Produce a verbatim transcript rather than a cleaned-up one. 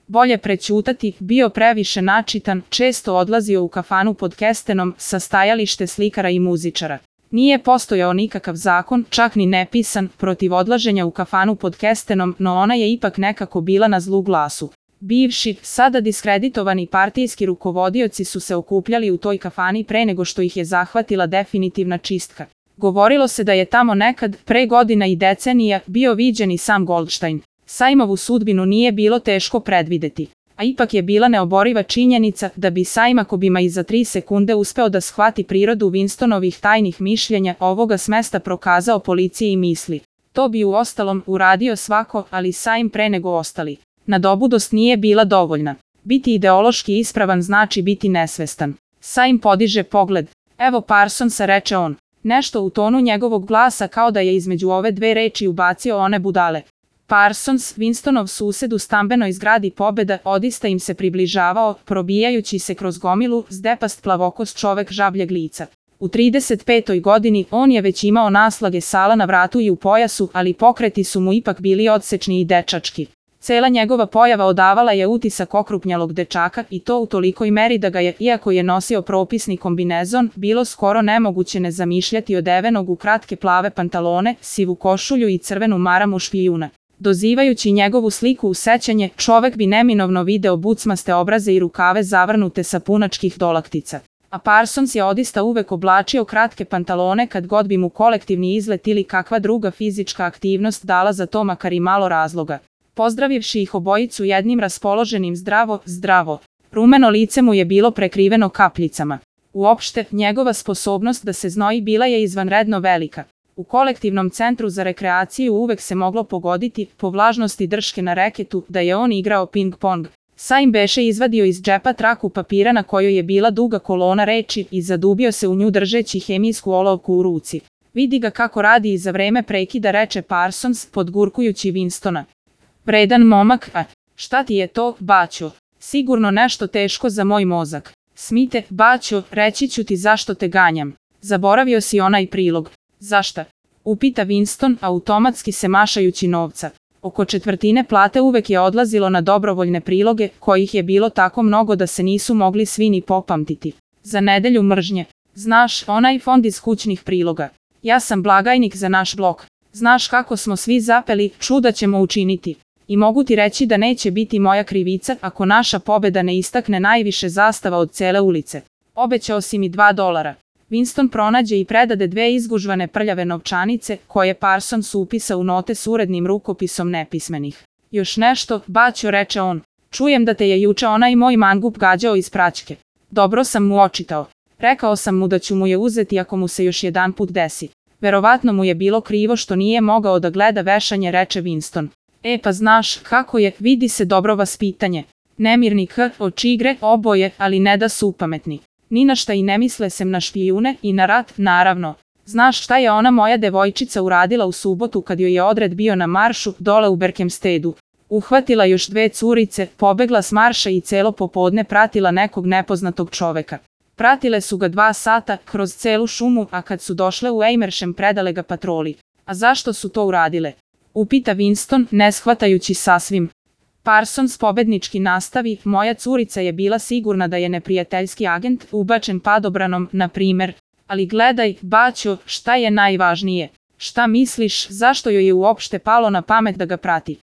Bolje prećutati, bio previše načitan, često odlazio u kafanu pod kestenom sa stajalište slikara i muzičara. Nije postojao nikakav zakon, čak ni nepisan, protiv odlaženja u kafanu pod kestenom, no ona je ipak nekako bila na zlu glasu. Bivši, sada diskreditovani partijski rukovodioci su se okupljali u toj kafani pre nego što ih je zahvatila definitivna čistka. Govorilo se da je tamo nekad, pre godina i decenija, bio viđen i sam Goldstein. Sajmovu sudbinu nije bilo teško predvideti, a ipak je bila neoboriva činjenica da bi Sajm ako bi ma i za tri sekunde uspeo da shvati prirodu Winstonovih tajnih mišljenja ovoga s mesta prokazao policiji i misli. To bi uostalom uradio svako, ali Sajm pre nego ostali. Nadobudost nije bila dovoljna. Biti ideološki ispravan znači biti nesvestan. Sajm podiže pogled. Evo Parsonsa, reče on. Nešto u tonu njegovog glasa kao da je između ove dve reči ubacio one budale. Parsons, Winstonov sused u stambenoj zgradi Pobeda, odista im se približavao, probijajući se kroz gomilu, zdepast plavokost čovek žabljeg lica. U trideset petoj godini on je već imao naslage sala na vratu i u pojasu, ali pokreti su mu ipak bili odsečni i dečački. Cela njegova pojava odavala je utisak okrupnjalog dečaka i to u tolikoj meri da ga je, iako je nosio propisni kombinezon, bilo skoro nemoguće ne zamišljati odevenog u kratke plave pantalone, sivu košulju i crvenu maramu špijuna. Dozivajući njegovu sliku u sećanje, čovek bi neminovno video bucmaste obraze i rukave zavrnute sa punačkih dolaktica. A Parsons je odista uvek oblačio kratke pantalone kad god bi mu kolektivni izlet ili kakva druga fizička aktivnost dala za to makar i malo razloga. Pozdravivši ih obojicu jednim raspoloženim zdravo, zdravo, rumeno lice mu je bilo prekriveno kapljicama. Uopšte, njegova sposobnost da se znoji bila je izvanredno velika. U kolektivnom centru za rekreaciju uvek se moglo pogoditi, po vlažnosti drške na reketu, da je on igrao ping-pong. Sajm beše izvadio iz džepa traku papira na kojoj je bila duga kolona reči i zadubio se u nju držeći hemijsku olovku u ruci. Vidi ga kako radi i za vreme prekida, reče Parsons, podgurkujući Winstona. Vredan momak, a šta ti je to, baćo? Sigurno nešto teško za moj mozak. Smite, baćo, reći ću ti zašto te ganjam. Zaboravio si onaj prilog. Zašta? Upita Winston, automatski se mašajući novca. Oko četvrtine plate uvek je odlazilo na dobrovoljne priloge, kojih je bilo tako mnogo da se nisu mogli svi ni popamtiti. Za nedelju mržnje. Znaš, onaj fond iz kućnih priloga. Ja sam blagajnik za naš blok. Znaš kako smo svi zapeli, čuda ćemo učiniti. I mogu ti reći da neće biti moja krivica ako naša pobeda ne istakne najviše zastava od cele ulice. Obećao si mi dva dolara. Winston pronađe i predade dve izgužvane prljave novčanice, koje Parsons upisa u note s urednim rukopisom nepismenih. Još nešto, baćo, reče on. Čujem da te je juče onaj moj mangup gađao iz praćke. Dobro sam mu očitao. Rekao sam mu da ću mu je uzeti ako mu se još jedan put desi. Verovatno mu je bilo krivo što nije mogao da gleda vešanje, reče Winston. E pa znaš, kako je, vidi se dobro vaspitanje. Nemirni k, oči igre, oboje, ali ne da su pametni. Ni na šta i ne misle sem na špijune i na rat, naravno. Znaš šta je ona moja devojčica uradila u subotu kad joj je odred bio na maršu, dole u Berkhamstedu? Uhvatila još dve curice, pobegla s marša i celo popodne pratila nekog nepoznatog čoveka. Pratile su ga dva sata, kroz celu šumu, a kad su došle u Amersham predale ga patroli. A zašto su to uradile? Upita Winston, ne shvatajući sasvim. Parsons pobednički nastavi, moja curica je bila sigurna da je neprijateljski agent, ubačen padobranom, na primer. Ali gledaj, baćo, šta je najvažnije? Šta misliš, zašto joj je uopšte palo na pamet da ga prati?